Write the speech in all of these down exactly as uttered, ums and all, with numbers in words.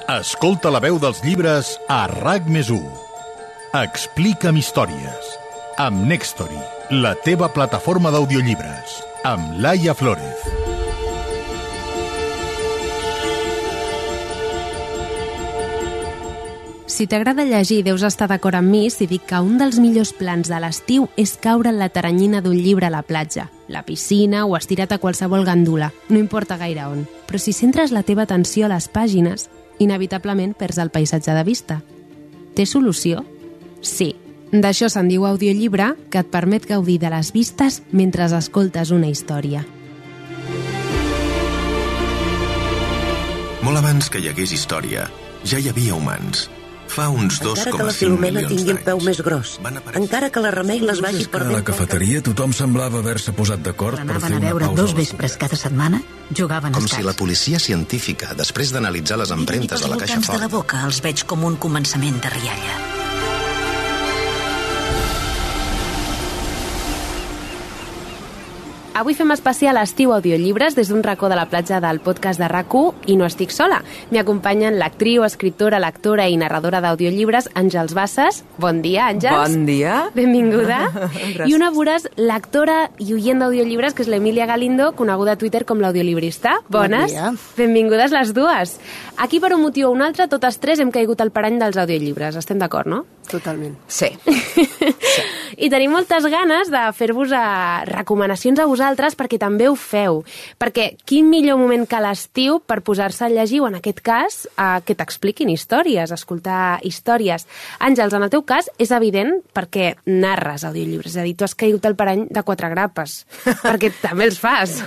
Escolta la veu dels llibres a RAC més u. Explica'm històries. Amb Nextory, la teva plataforma d'audiollibres. Amb Laia Flórez. Si t'agrada llegir, deus estar d'acord amb mi si dic que un dels millors plans de l'estiu és caure en la teranyina d'un llibre a la platja, la piscina o estirat a qualsevol gandula, no importa gaire on. Però si centres la teva atenció a les pàgines, inevitablement perds el paisatge de vista. Té solució? Sí. D'això se'n diu audiollibre, que et permet gaudir de les vistes mentre escoltes una història. Molt abans que hi hagués història, ja hi havia humans. Fa uns dos coma cinc milions tingui el peu més gros, encara que la Remei les vagi perdent. A la cafeteria tothom semblava haver-se posat d'acord per fer una pausa. Anaven a veure dos vespres cada setmana, jugaven a Com escacs. si la policia científica, després d'analitzar les empremtes de la caixa fort... de la boca els veig com un començament de rialla. Avui fem especial estiu audiollibres des d'un racó de la platja del podcast de RAC u i no estic sola. M'hi acompanyen l'actriu, escriptora, lectora i narradora d'audiollibres Àngels Bassas. Bon dia, Àngels. Bon dia. Benvinguda. I una voraç lectora i oient d'audiollibres, que és l'Emília Galindo, coneguda a Twitter com l'audiolibrista. Bones. Bon dia. Benvingudes les dues. Aquí, per un motiu o un altre, totes tres hem caigut al parany dels audiollibres. Estem d'acord, no? Totalment. Sí. sí. I tenim moltes ganes de fer-vos a recomanacions a vosaltres perquè també ho feu. Perquè quin millor moment que l'estiu per posar-se a llegir, o en aquest cas, a que t'expliquin històries, escoltar històries. Àngels, en el teu cas és evident perquè narres audiollibres, és a dir, tu has caigut al parany de quatre grapes, perquè també els fas.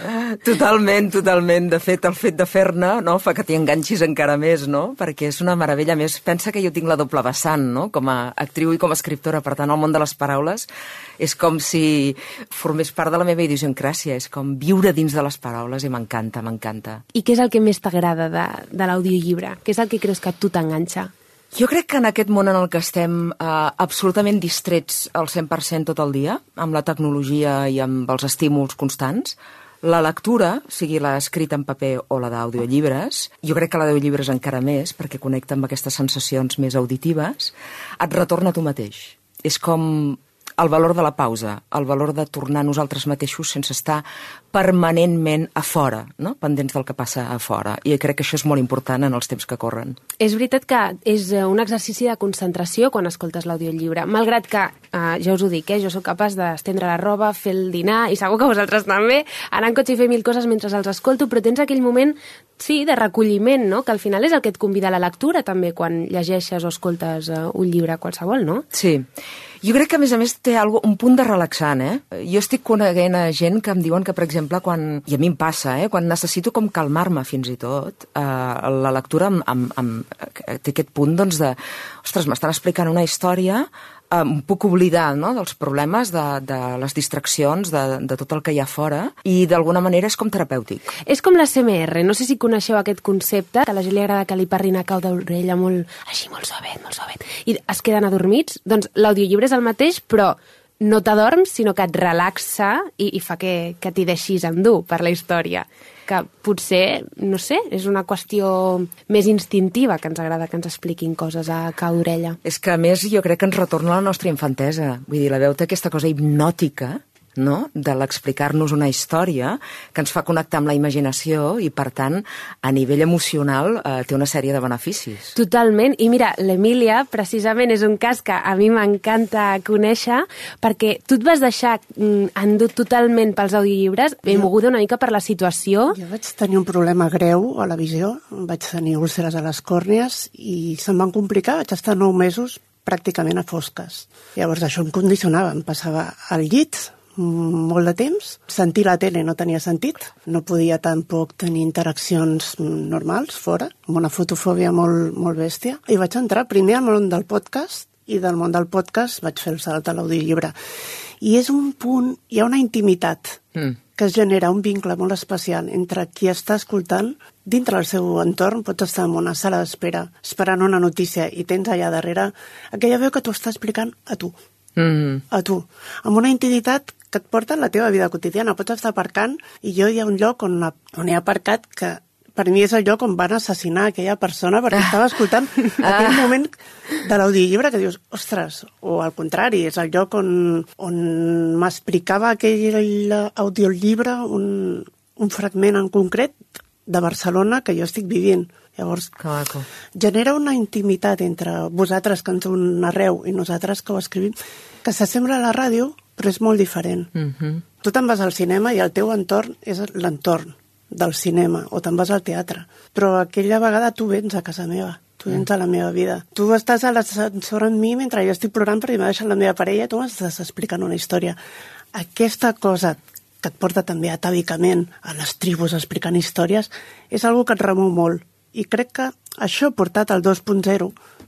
Totalment, totalment. De fet, el fet de fer-ne no, fa que t'hi enganxis encara més, no? Perquè és una meravella. A més, pensa que jo tinc la doble vessant, no? Com a actriu i com a escriptora, per tant, el món de les paraules és com si formés part de la meva idiosincràsia, és com viure dins de les paraules i m'encanta, m'encanta. I què és el que més t'agrada de, de l'audiollibre? Què és el que creus que a tu t'enganxa? Jo crec que en aquest món en el que estem eh, absolutament distrets al cent per cent tot el dia, amb la tecnologia i amb els estímuls constants, la lectura, sigui la escrita en paper o la d'audiollibres, jo crec que l'audiollibre és encara més, perquè connecta amb aquestes sensacions més auditives, et retorna a tu mateix. És com el valor de la pausa, el valor de tornar a nosaltres mateixos sense estar permanentment a fora, no? Pendents del que passa a fora. I crec que això és molt important en els temps que corren. És veritat que és un exercici de concentració quan escoltes l'audiollibre, malgrat que, eh, ja us ho dic, eh, jo sóc capaç d'estendre la roba, fer el dinar, i segur que vosaltres també, anar en cotxe i fer mil coses mentre els escolto, però tens aquell moment, sí, de recolliment, no? Que al final és el que et convida a la lectura també quan llegeixes o escoltes eh, un llibre qualsevol, no? Sí. Jo crec que, a més a més, té algo, un punt de relaxant, eh? Jo estic coneguent a gent que em diuen que, per exemple, quan, i a mi em passa, eh? Quan necessito com calmar-me fins i tot, eh, la lectura amb, amb, amb, té aquest punt, doncs, de, ostres, m'estan explicant una història, eh, em puc oblidar, no?, dels problemes, de, de les distraccions, de, de tot el que hi ha fora, i d'alguna manera és com terapèutic. És com l'A S M R, no sé si coneixeu aquest concepte, que a la gent li agrada que li parlin a cau d'orella molt, així, molt suavet, molt suavet, i es queden adormits. Doncs l'audiollibre és el mateix, però no t'adorms, sinó que et relaxa i, i fa que, que t'hi deixis endur per la història. Que potser, no sé, és una qüestió més instintiva, que ens agrada que ens expliquin coses a cau d'orella. És que, a més, jo crec que ens retorna a la nostra infantesa. Vull dir, la veu té aquesta cosa hipnòtica, no?, de l'explicar-nos una història que ens fa connectar amb la imaginació i, per tant, a nivell emocional eh, té una sèrie de beneficis. Totalment. I mira, l'Emília, precisament, és un cas que a mi m'encanta conèixer perquè tu et vas deixar mm, endut totalment pels audiollibres, ben moguda una mica per la situació. Jo vaig tenir un problema greu a la visió, vaig tenir úlceres a les còrnies i se'm van complicar, vaig estar nou mesos pràcticament a fosques. Llavors això em condicionava, em passava al llit molt de temps. Sentir la tele no tenia sentit. No podia tampoc tenir interaccions normals fora, amb una fotofòbia molt, molt bèstia. I vaig entrar primer al món del podcast i del món del podcast vaig fer el salt a l'audiollibre. I és un punt, hi ha una intimitat mm. que es genera, un vincle molt especial entre qui està escoltant dintre del seu entorn. Pots estar en una sala d'espera esperant una notícia i tens allà darrere aquella veu que t'ho està explicant a tu. Mm. A tu. Amb una intimitat que et porta en la teva vida quotidiana. Pots estar aparcant i jo hi ha un lloc on, on he aparcat que per mi és el lloc on van assassinar aquella persona perquè estava escoltant aquell moment de l'audiollibre que dius, ostres, o al contrari, és el lloc on, on m'explicava aquell audiollibre un, un fragment en concret de Barcelona que jo estic vivint. Llavors, genera una intimitat entre vosaltres que ens ho narreu i nosaltres que ho escrivim, que s'assembla a la ràdio, però és molt diferent. Mm-hmm. Tu te'n vas al cinema i el teu entorn és l'entorn del cinema, o te'n vas al teatre. Però aquella vegada tu vens a casa meva, tu vens a la meva vida. Tu estàs a l'ascensor amb mi mentre jo estic plorant perquè m'ha deixat la meva parella i tu m'estàs explicant una història. Aquesta cosa que et porta també atàvicament a les tribus explicant històries és algo que et remou molt. I crec que això portat al dos punt zero,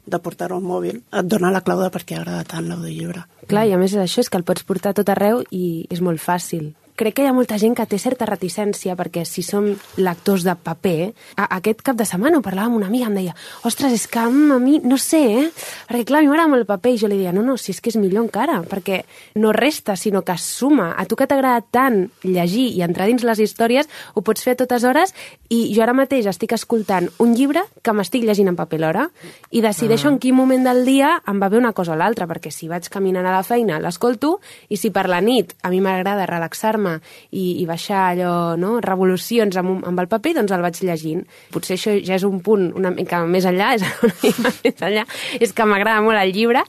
de portar-ho al mòbil, et dona la clau de per què agrada tant l'audiollibre. Clar, i a més això és que el pots portar tot arreu i és molt fàcil. Crec que hi ha molta gent que té certa reticència perquè si som lectors de paper, a, aquest cap de setmana ho parlava amb una amiga, em deia, ostres, és que a mi, no sé, eh? Perquè clar, a mi m'agrada molt el paper i jo li deia, no, no, si és que és millor encara, perquè no resta, sinó que suma. A tu que t'agrada tant llegir i entrar dins les històries, ho pots fer a totes hores i jo ara mateix estic escoltant un llibre que m'estic llegint en paper l'hora i decideixo ah. en quin moment del dia em va bé una cosa o l'altra, perquè si vaig caminant a la feina l'escolto i si per la nit a mi m'agrada relaxar-me I, i baixar allò, no? revolucions amb, amb el paper, doncs el vaig llegint. Potser això ja és un punt una mica més enllà, és una mica més enllà, és que m'agrada molt el llibre,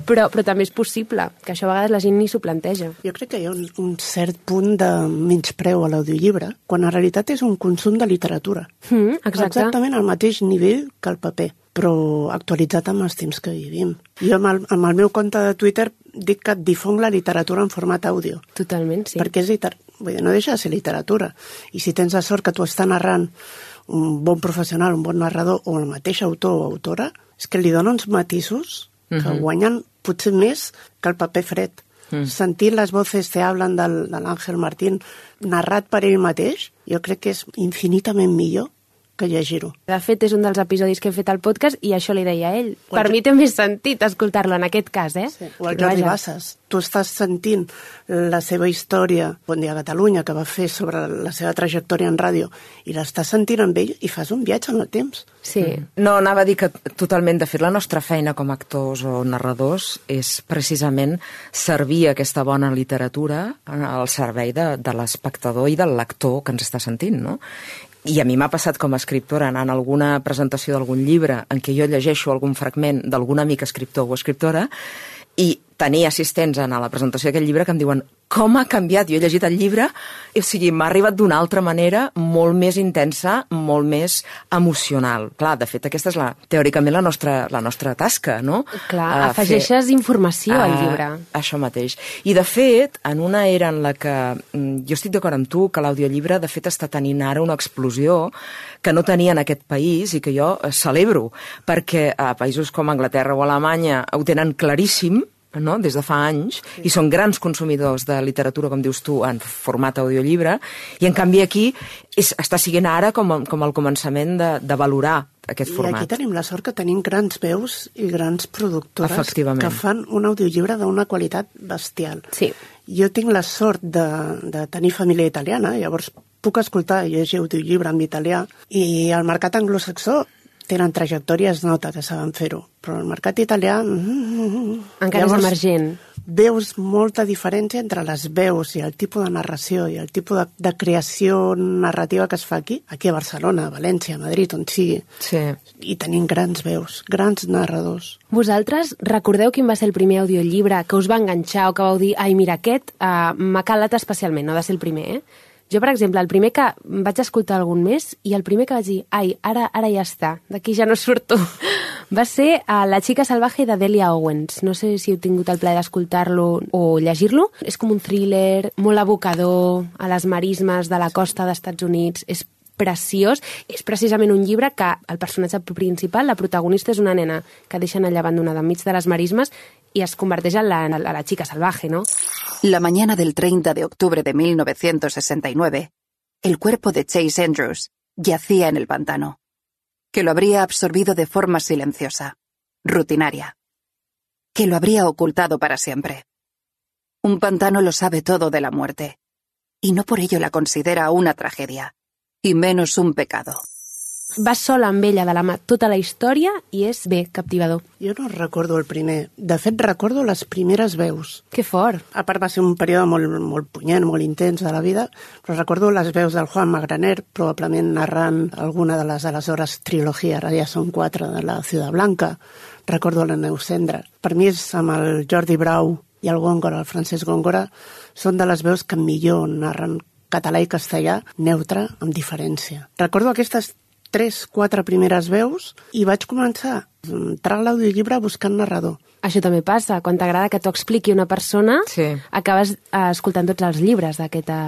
però, però també és possible, que això a vegades la gent ni s'ho planteja. Jo crec que hi ha un, un cert punt de menyspreu a l'audiollibre, quan en realitat és un consum de literatura. Mm, exacte. Exactament al mateix nivell que el paper, però actualitzat amb els temps que vivim. Jo amb el, amb el meu compte de Twitter dic que difonc la literatura en format àudio. Totalment, sí. Perquè és liter... Vull dir, no deixa de ser literatura. I si tens la sort que tu està narrant un bon professional, un bon narrador, o el mateix autor o autora, és que li dona uns matisos que uh-huh. guanyen potser més que el paper fred. Uh-huh. Sentir les voces que hablen del, de l'Àngel Martín narrat per ell mateix, jo crec que és infinitament millor que llegir-ho. De fet, és un dels episodis que he fet al podcast i això li deia a ell. O per mi té més sentit escoltar-lo en aquest cas, eh? Sí. O el Jordi Bassas. Tu estàs sentint la seva història, Bon dia Catalunya, que va fer sobre la seva trajectòria en ràdio, i l'estàs sentint amb ell i fas un viatge en el temps. Sí. No, anava a dir que totalment, de fet, la nostra feina com a actors o narradors és precisament servir aquesta bona literatura al servei de, de l'espectador i del lector que ens està sentint, no? I a mi m'ha passat com a escriptora anant a alguna presentació d'algun llibre en què jo llegeixo algun fragment d'algun amic escriptor o escriptora i tenir assistents a la presentació d'aquest llibre que em diuen com ha canviat, jo he llegit el llibre, o sigui, m'ha arribat d'una altra manera molt més intensa, molt més emocional. Clar, de fet, aquesta és la, teòricament la nostra, la nostra tasca, no? Clar, uh, afegeixes fer, informació uh, al llibre. Això mateix. I, de fet, en una era en la que mm, jo estic d'acord amb tu, que l'audiollibre, de fet, està tenint ara una explosió que no tenia en aquest país i que jo celebro, perquè a països com Anglaterra o Alemanya ho tenen claríssim, no? Des de fa anys, sí. I són grans consumidors de literatura, com dius tu, en format audiollibre, i en canvi aquí és, està siguent ara com, com el començament de, de valorar aquest format. I aquí tenim la sort que tenim grans veus i grans productores que fan un audiollibre d'una qualitat bestial. Sí. Jo tinc la sort de, de tenir família italiana, llavors puc escoltar i llegir audiollibre en italià, i el mercat anglosaxó tenen trajectòria, es nota que saben fer-ho, però el mercat italià... Encara llavors, és emergent. Veus molta diferència entre les veus i el tipus de narració i el tipus de, de creació narrativa que es fa aquí, aquí a Barcelona, a València, a Madrid, on sigui. Sí. I tenim grans veus, grans narradors. Vosaltres recordeu quin va ser el primer audiollibre que us va enganxar o que vau dir, ai, mira, aquest uh, m'ha calat especialment, no ha de ser el primer, eh? Jo, per exemple, el primer que vaig escoltar algun mes i el primer que vaig dir, ai, ara, ara ja està, d'aquí ja no surto, va ser uh, La xica salvaje de Delia Owens. No sé si heu tingut el plaer d'escoltar-lo o llegir-lo. És com un thriller molt evocador a les marismes de la costa d'Estats Units. És preciós. És precisament un llibre que el personatge principal, la protagonista, és una nena que deixen allà abandonada enmig de les marismes y es converteix en la, en la chica salvaje, ¿no? La mañana del treinta de octubre de mil novecientos sesenta y nueve, el cuerpo de Chase Andrews yacía en el pantano, que lo habría absorbido de forma silenciosa, rutinaria, que lo habría ocultado para siempre. Un pantano lo sabe todo de la muerte, y no por ello la considera una tragedia, y menos un pecado. Vas sola amb ella de la mà tota la història i és, bé, captivador. Jo no recordo el primer. De fet, recordo les primeres veus. Que fort. A part, va ser un període molt, molt punyent, molt intens de la vida, però recordo les veus del Juan Magraner, probablement narrant alguna de les aleshores trilogia, ara ja són quatre, de la Ciudad Blanca. Recordo la Neus Cendra. Per mi és amb el Jordi Brau i el Góngora, el Francesc Góngora, són de les veus que millor narren català i castellà, neutre, amb diferència. Recordo aquestes tres, quatre primeres veus i vaig començar a entrar a l'audiollibre buscant narrador. Això també passa. Quan t'agrada que t'ho expliqui una persona, sí. acabes escoltant tots els llibres d'aquesta...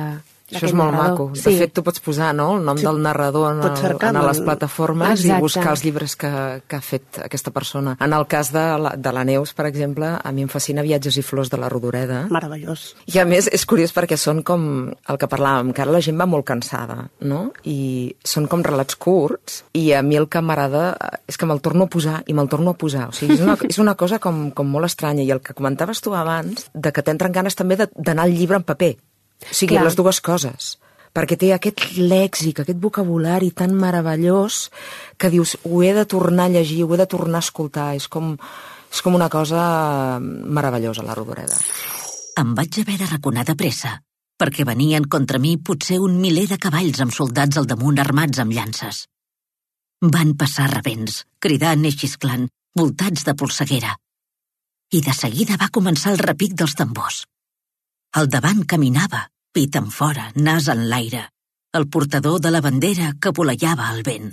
Això és molt narrador. Maco. De sí. fet, tu pots posar, no?, el nom sí. del narrador en, el, en les plataformes. Exacte. I buscar els llibres que, que ha fet aquesta persona. En el cas de la, de la Neus, per exemple, a mi em fascina Viatges i flors de la Rodoreda. Meravellós. I a més, és curiós perquè són com el que parlàvem, que ara la gent va molt cansada, no? I són com relats curts, i a mi el que m'agrada és que me'l torno a posar i me'l torno a posar. O sigui, és una, és una cosa com, com molt estranya. I el que comentaves tu abans, de que t'entren ganes també d'anar al llibre en paper. O sigui, clar, les dues coses, perquè té aquest lèxic, aquest vocabulari tan meravellós que dius, ho he de tornar a llegir, ho he de tornar a escoltar, és com, és com una cosa meravellosa, la Rodoreda. Em vaig haver de raconar de pressa, perquè venien contra mi potser un miler de cavalls amb soldats al damunt armats amb llances. Van passar rebents, cridant i xisclant, voltats de polseguera. I de seguida va començar el repic dels tambors. Al davant caminava, pit en fora, nas en l'aire, el portador de la bandera que voleiava al vent.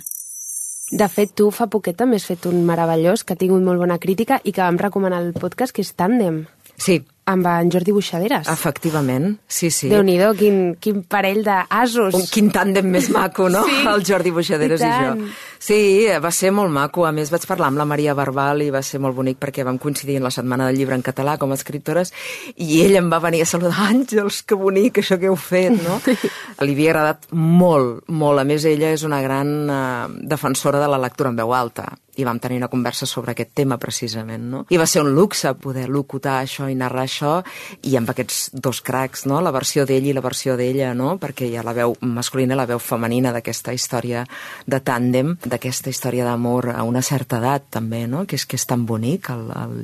De fet, tu fa poquet també has fet un meravellós que ha tingut molt bona crítica i que vam recomanar al podcast, que és Tàndem. Sí. Amb en Jordi Buixaderes. Efectivament, sí, sí. Déu-n'hi-do, quin, quin parell d'asos. Un quin tàndem més maco, no? Sí. El Jordi Buixaderes i, i jo. Sí, va ser molt maco. A més, vaig parlar amb la Maria Barbal i va ser molt bonic perquè vam coincidir en la Setmana del Llibre en català com a escriptores i ell em va venir a saludar. Àngels, que bonic això que heu fet, no? Li havia agradat molt, molt. A més, ella és una gran uh, defensora de la lectura en veu alta i vam tenir una conversa sobre aquest tema precisament, no? I va ser un luxe poder locutar això i narrar això i amb aquests dos cracs, no? La versió d'ell i la versió d'ella, no? Perquè hi ha la veu masculina i la veu femenina d'aquesta història de tàndem, d'aquesta història d'amor a una certa edat també, no? Que és, que és tan bonic el, el,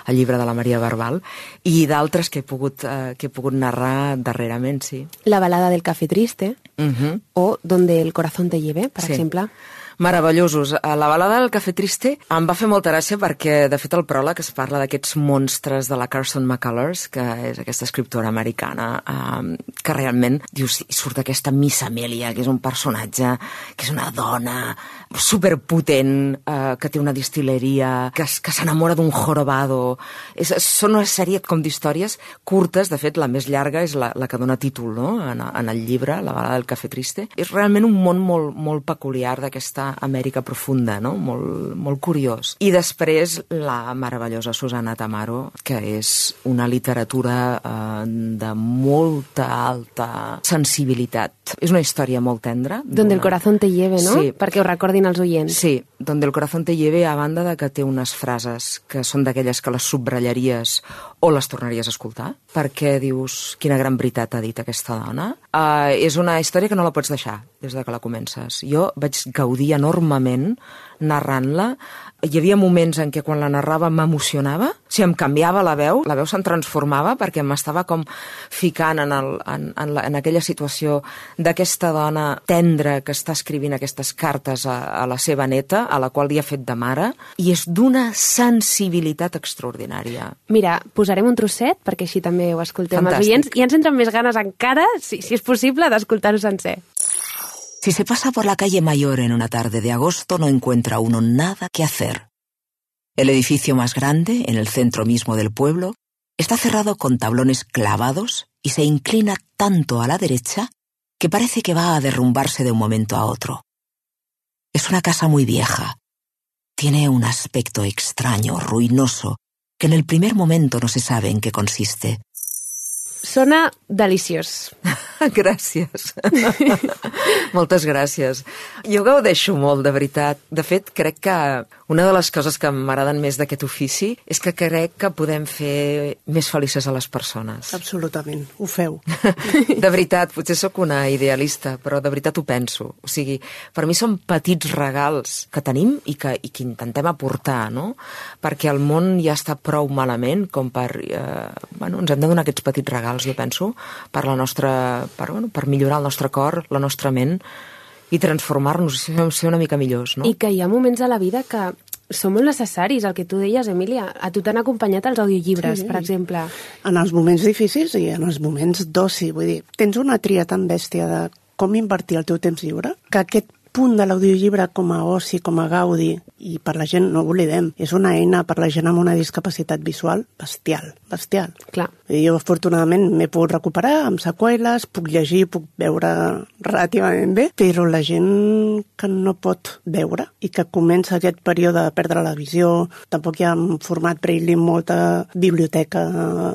el llibre de la Maria Barbal i d'altres que he pogut, eh, que he pogut narrar darrerament, sí. La balada del Café Triste uh-huh. o Donde el corazón te lleve, per sí. exemple. Meravellosos. La balada del Café Triste em va fer molta gràcia perquè, de fet, el pròleg es parla d'aquests monstres de la Carson McCullers, que és aquesta escriptora americana, eh, que realment, dius, surt aquesta Miss Amelia, que és un personatge, que és una dona superpotent, eh, que té una distilleria, que, que s'enamora d'un jorobado. És, són una sèrie com d'històries curtes, de fet, la més llarga és la, la que dona títol, no?, en, en el llibre, La balada del Café Triste. És realment un món molt, molt peculiar d'aquesta Amèrica profunda, no? Molt, molt curiós. I després la meravellosa Susana Tamaro, que és una literatura eh, de molta alta sensibilitat. És una història molt tendra. Donde el corazón te lleve, no? Sí. Perquè ho recordin els oients. Sí, Donde el corazón te lleve, a banda de que té unes frases que són d'aquelles que les subratllaries o les tornaries a escoltar, perquè dius, quina gran veritat ha dit aquesta dona. Uh, és una història que no la pots deixar des de que la comences. Jo vaig gaudir enormement narrant-la. Hi havia moments en què quan la narrava m'emocionava, si em canviava la veu, la veu se'n transformava perquè m'estava com ficant en, el, en, en, la, en aquella situació d'aquesta dona tendra que està escrivint aquestes cartes a, a la seva neta, a la qual li ha fet de mare, i és d'una sensibilitat extraordinària. Mira, posarem un trosset perquè així també ho escoltem els oients i ens entren més ganes encara, si, si és possible, d'escoltar-ho sencer. Si se pasa por la calle Mayor en una tarde de agosto, no encuentra uno nada que hacer. El edificio más grande, en el centro mismo del pueblo, está cerrado con tablones clavados y se inclina tanto a la derecha que parece que va a derrumbarse de un momento a otro. Es una casa muy vieja. Tiene un aspecto extraño, ruinoso, que en el primer momento no se sabe en qué consiste. Sona deliciós. Gràcies. Moltes gràcies. Jo gaudeixo molt, de veritat. De fet, crec que una de les coses que m'agraden més d'aquest ofici és que crec que podem fer més felices a les persones. Absolutament, ho feu. De veritat, potser sóc una idealista, però de veritat ho penso. O sigui, per mi són petits regals que tenim i que, i que intentem aportar, no? Perquè el món ja està prou malament com per... Eh, bueno, ens hem de donar aquests petits regals, jo penso, per la nostra... Per, bueno, per millorar el nostre cor, la nostra ment i transformar-nos, ser una mica millors, no? I que hi ha moments a la vida que són molt necessaris, el que tu deies, Emília. A tu t'han acompanyat els audiollibres, sí, per exemple. En els moments difícils i en els moments d'oci. Vull dir, tens una tria tan bèstia de com invertir el teu temps lliure, que aquest punt de l'audiollibre com a oci, com a gaudi, i per la gent, no ho oblidem, és una eina per la gent amb una discapacitat visual bestial, bestial. Clar. I jo, afortunadament, m'he pogut recuperar amb seqüeles, puc llegir, puc veure relativament bé, però la gent que no pot veure i que comença aquest període de perdre la visió, tampoc hi ha un format braille amb molta biblioteca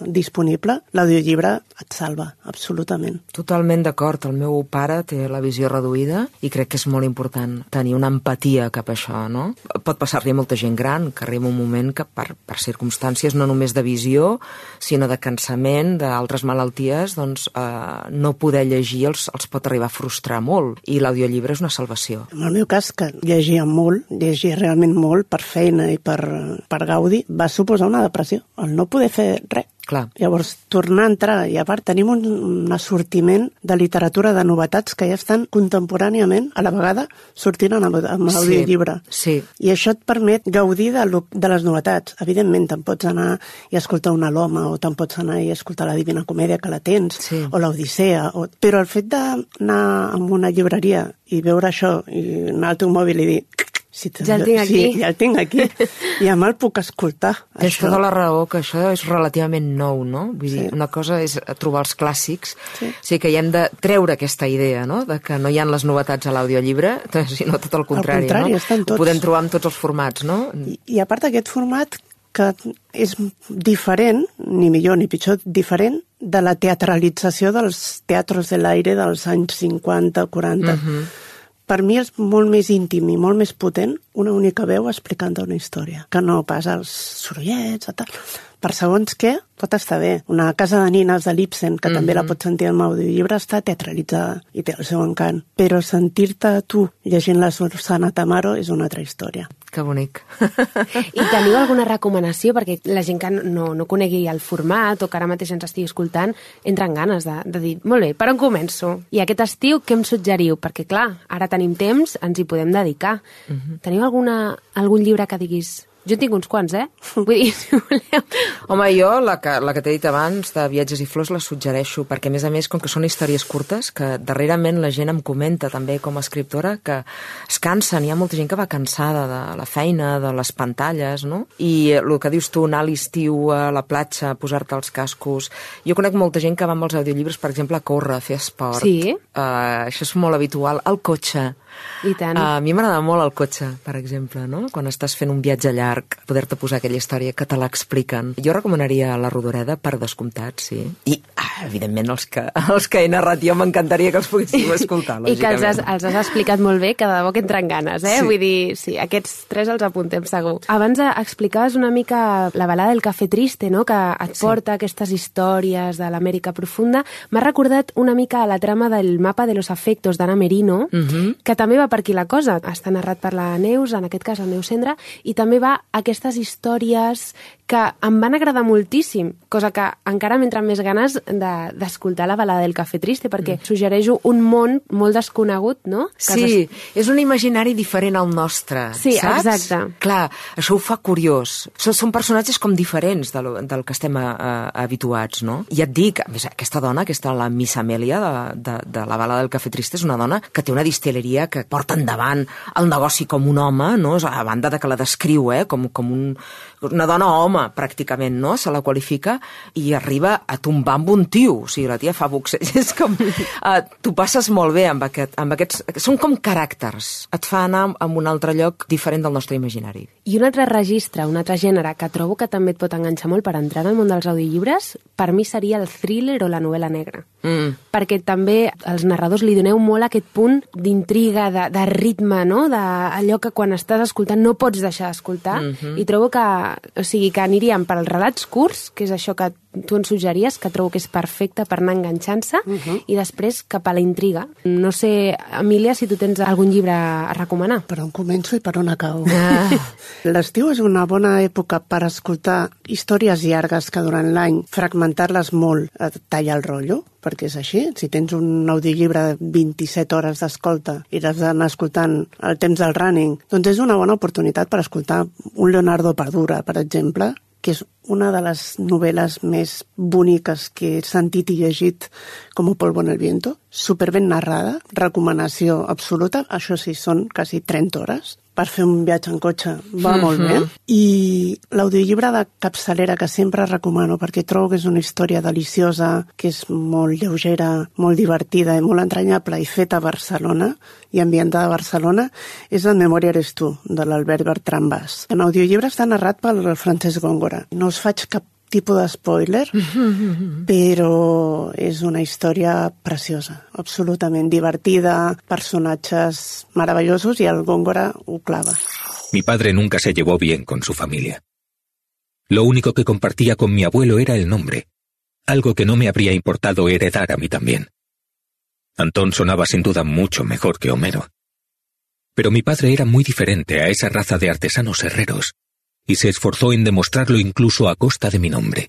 disponible, l'audiollibre et salva, absolutament. Totalment d'acord. El meu pare té la visió reduïda i crec que és molt important tenir una empatia cap a això, no? Pot passar-li a molta gent gran, que arriba un moment que per, per circumstàncies no només de visió, sinó de cansament, d'altres malalties, doncs eh, no poder llegir els, els pot arribar a frustrar molt, i l'audiollibre és una salvació. En el meu cas, que llegia molt, llegia realment molt per feina i per, per gaudi, va suposar una depressió, el no poder fer res. Clar. Llavors, tornar a entrar, i a part tenim un, un assortiment de literatura de novetats que ja estan contemporàniament, a la vegada, sortint amb, amb l'audiollibre. Sí, sí. I això et permet gaudir de, lo, de les novetats. Evidentment, te'n pots anar i escoltar una Loma, o te'n pots anar i escoltar la Divina Comèdia, que la tens, sí, o l'Odissea, o... però el fet d'anar a una llibreria i veure això, i anar al teu mòbil i dir... Si ja el tinc aquí. Sí, ja el tinc aquí. I a el puc escoltar. Tens tota la raó, que això és relativament nou, no? Vull Sí. dir, una cosa és trobar els clàssics, Sí. o sigui que hi hem de treure aquesta idea, no?, de que no hi ha les novetats a l'audiollibre, sinó tot el contrari, Al contrari, no? estan tots. Ho podem trobar en tots els formats, no? I, i a part d'aquest format que és diferent, ni millor ni pitjor, diferent de la teatralització dels teatros de l'aire dels anys cinquanta, quaranta. Mhm. Per mi és molt més íntim i molt més potent una única veu explicant una història, que no pas els sorollets, tal. Per segons què, pot estar bé. Una casa de nines de l'Ibsen, que mm-hmm. també la pots sentir en audiollibre, està teatralitzada i té el seu encant. Però sentir-te tu llegint la Susana Tamaro és una altra història. Que bonic. I teniu alguna recomanació? Perquè la gent que no, no conegui el format o que ara mateix ens estigui escoltant entra en ganes de, de dir, molt bé, per on començo? I aquest estiu què em suggeriu? Perquè clar, ara tenim temps, ens hi podem dedicar. Mm-hmm. Teniu alguna, algun llibre que diguis... Jo en tinc uns quants, eh? Vull dir, si voleu... Home, jo, la que, la que t'he dit abans, de Viatges i Flors, la suggereixo, perquè a més a més, com que són històries curtes, que darrerament la gent em comenta també com a escriptora, que es cansen, hi ha molta gent que va cansada de la feina, de les pantalles, no? I el que dius tu, anar a l'estiu a la platja, posar-te els cascos... Jo conec molta gent que va amb els audiollibres, per exemple, a córrer, a fer esport. Sí? Uh, això és molt habitual. Al cotxe. I tant. Uh, a mi m'agrada molt el cotxe, per exemple, no? Quan estàs fent un viatge llarg, poder-te posar aquella història que te l'expliquen. Jo recomanaria La Rodoreda, per descomptat, sí. I, ah, evidentment, els que, els que he narrat jo m'encantaria que els poguéssim escoltar, lògicament. I que els has, els has explicat molt bé, que de debò que entren ganes, eh? Sí. Vull dir, sí, aquests tres els apuntem segur. Abans explicaves una mica la balada del Café Triste, no?, que et porta sí. aquestes històries de l'Amèrica profunda. M'ha recordat una mica la trama del Mapa de los Afectos d'Anna Merino, uh-huh. que també va per aquí la cosa. Està narrat per la Neus, en aquest cas el Neus Cendra, i també va aquestes històries que em van agradar moltíssim, cosa que encara m'entren més ganes d'escoltar de, la balada del Café Triste, perquè mm. suggereixo un món molt desconegut, no? Que sí, es... és un imaginari diferent al nostre, sí, saps? Exacte. Clar, això ho fa curiós. Són, són personatges com diferents del, del que estem a, a, habituats, no? I et dic, a més, aquesta dona, aquesta, la Miss Amèlia de, de, de la balada del Café Triste, és una dona que té una distilleria que porta endavant el negoci com un home, no? A banda de que la descriu, eh? com, com, un, una dona home, pràcticament, no? Se la qualifica i arriba a tombar amb un tio. O sigui, la tia fa boxeig. És com... Uh, tu passes molt bé amb, aquest, amb aquests... Són com caràcters. Et fa anar a un altre lloc diferent del nostre imaginari. I un altre registre, un altre gènere que trobo que també et pot enganxar molt per entrar en el món dels audiollibres, per mi seria el thriller o la novel·la negra. Mm. Perquè també els narradors li doneu molt aquest punt d'intriga, de, de ritme, no? D'allò que quan estàs escoltant no pots deixar d'escoltar. Mm-hmm. I trobo que, o sigui, que aniríem per als relats curts, que és això que tu ens suggeries, que trobo que és perfecte per anar enganxant-se, uh-huh. i després cap a la intriga. No sé, Emília, si tu tens algun llibre a recomanar. Per on començo i per on acabo. Ah. L'estiu és una bona època per escoltar històries llargues que durant l'any fragmentar-les molt et talla el rotllo, perquè és així. Si tens un audiollibre de vint-i-set hores d'escolta i l'has d'anar escoltant al temps del running, doncs és una bona oportunitat per escoltar un Leonardo Padura, per exemple, que és una de les novel·les més boniques que he sentit i llegit com Polvo en el viento, superben narrada, recomanació absoluta, això sí, són quasi trenta hores, per fer un viatge en cotxe va mm-hmm. molt bé, i l'audiollibre de capçalera que sempre recomano perquè trobo que és una història deliciosa, que és molt lleugera, molt divertida i molt entranyable i feta a Barcelona i ambientada a Barcelona, és En memòria eres tu, de l'Albert Bertran Bas. En audiollibre està narrat pel Francesc Góngora. No us faig cap tipus de spoiler, però és una història preciosa, absolutament divertida, personatges maravillosos i el Góngora ho clava. Mi padre nunca se llevó bien con su familia. Lo único que compartía con mi abuelo era el nombre, algo que no me habría importado heredar a mí también. Antón sonaba sin duda mucho mejor que Homero. Pero mi padre era muy diferente a esa raza de artesanos herreros, y se esforzó en demostrarlo incluso a costa de mi nombre.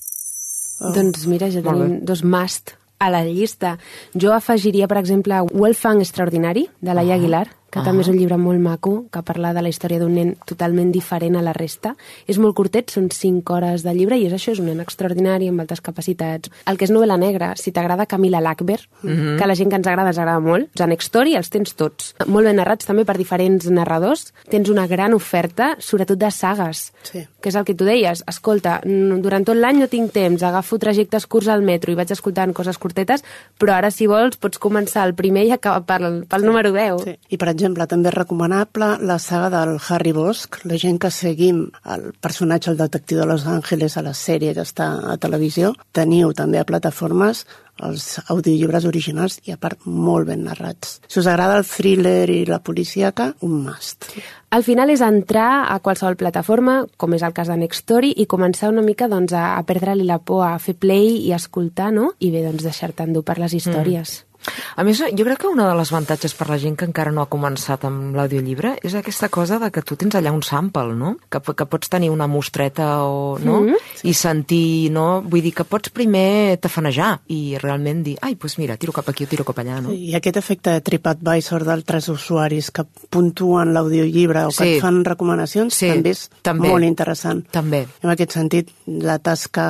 Oh. Doncs mira, ja tenim dos must a la llista. Jo afegiria, per exemple, Wolfgang Extraordinari, de Laia Aguilar, que ah. també és un llibre molt maco, que parla de la història d'un nen totalment diferent a la resta. És molt curtet, són cinc hores de llibre, i és això, és un nen extraordinari, amb altres capacitats. El que és novel·la negra, si t'agrada Camila Lackberg, mm-hmm. que a la gent que ens agrada ens agrada molt, els Next Story els tens tots. Molt ben narrats també per diferents narradors. Tens una gran oferta, sobretot de sagues, sí. que és el que tu deies. Escolta, durant tot l'any no tinc temps, agafo trajectes curts al metro i vaig escoltant coses curtetes, però ara, si vols, pots començar el primer i acabar pel, pel número deu. Sí. I, per exemple, també és recomanable la saga del Harry Bosch. La gent que seguim el personatge, el detectiu de Los Angeles, a la sèrie que està a televisió, teniu també a plataformes els audiollibres originals i, a part, molt ben narrats. Si us agrada el thriller i la policíaca, un must. Al final és entrar a qualsevol plataforma, com és el cas de Next Story, i començar una mica doncs, a, a perdre-li la por, a fer play i escoltar, no? I bé, doncs, deixar-te endur per les històries. Mm. A més, jo crec que una de les avantatges per la gent que encara no ha començat amb l'audiollibre és aquesta cosa de que tu tens allà un sample, no? Que, que pots tenir una mostreta o, no? Mm-hmm. I sentir, no? Vull dir que pots primer tafanejar i realment dir, ai, doncs mira, tiro cap aquí o tiro cap allà, no? I aquest efecte de TripAdvisor d'altres usuaris que puntuen l'audiollibre o que sí. et fan recomanacions sí. també és també. molt interessant. També. En aquest sentit, la tasca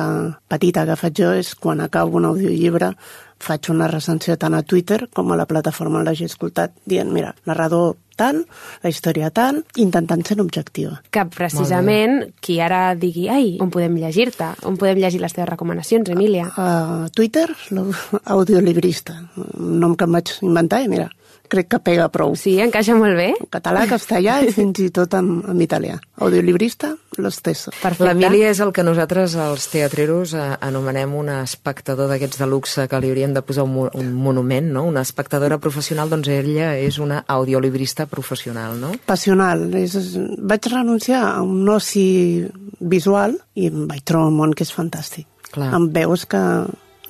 petita que faig jo és quan acabo un audiollibre faig una recensió tant a Twitter com a la plataforma on l'hagi escoltat, dient, mira, narrador tal, la història tal, intentant ser objectiva. Que precisament qui ara digui, ai, on podem llegir-te? On podem llegir les teves recomanacions, Emília? A, a Twitter, l'audiolibrista, un nom que em vaig inventar i mira, crec que pega prou. Sí, encaixa molt bé. En català, castellà i fins i tot en, en italià. Audiolibrista, lo stesso. Perfecte. L'Emília és el que nosaltres, els teatreros, eh, anomenem un espectador d'aquests de luxe que li hauríem de posar un, un monument, no? Una espectadora professional, doncs ella és una audiolibrista professional, no? Passional. És, vaig renunciar a un oci visual i em vaig trobar un món que és fantàstic. Clar. Em veus que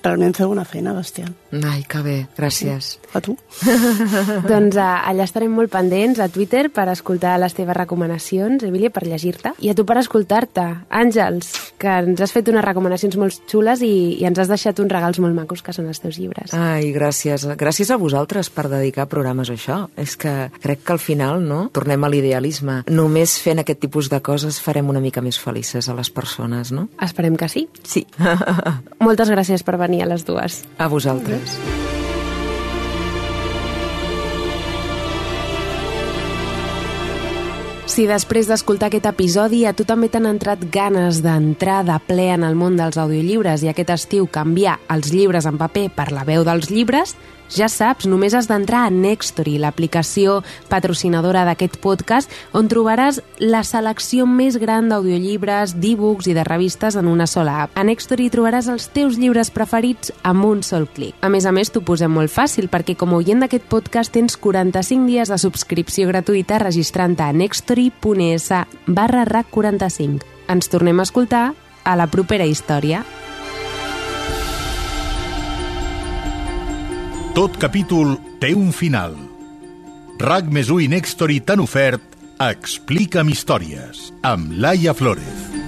realment feu una feina bestial. Ai, que bé, gràcies. A tu. Doncs uh, allà estarem molt pendents a Twitter per escoltar les teves recomanacions, Emília, per llegir-te. I a tu per escoltar-te. Àngels, que ens has fet unes recomanacions molt xules i, i ens has deixat uns regals molt macos que són els teus llibres. Ai, gràcies. Gràcies a vosaltres per dedicar programes a això. És que crec que al final, no?, tornem a l'idealisme. Només fent aquest tipus de coses farem una mica més felices a les persones, no? Esperem que sí. Sí. Moltes gràcies per venir a les dues. A vosaltres. Si després d'escoltar aquest episodi a tu també t'han entrat ganes d'entrar de ple en el món dels audiollibres i aquest estiu canviar els llibres en paper per la veu dels llibres, ja saps, només has d'entrar a Nextory, l'aplicació patrocinadora d'aquest podcast, on trobaràs la selecció més gran d'audiollibres, d'e-books i de revistes en una sola app. A Nextory trobaràs els teus llibres preferits amb un sol clic. A més a més, t'ho posem molt fàcil, perquè com a oient d'aquest podcast tens quaranta-cinc dies de subscripció gratuïta registrant-te a nextory.es barra rac quaranta-cinc. Ens tornem a escoltar a la propera història. Tot capítol té un final. RAC més u i Nextory t'han ofert Explica'm històries, amb Laia Flórez.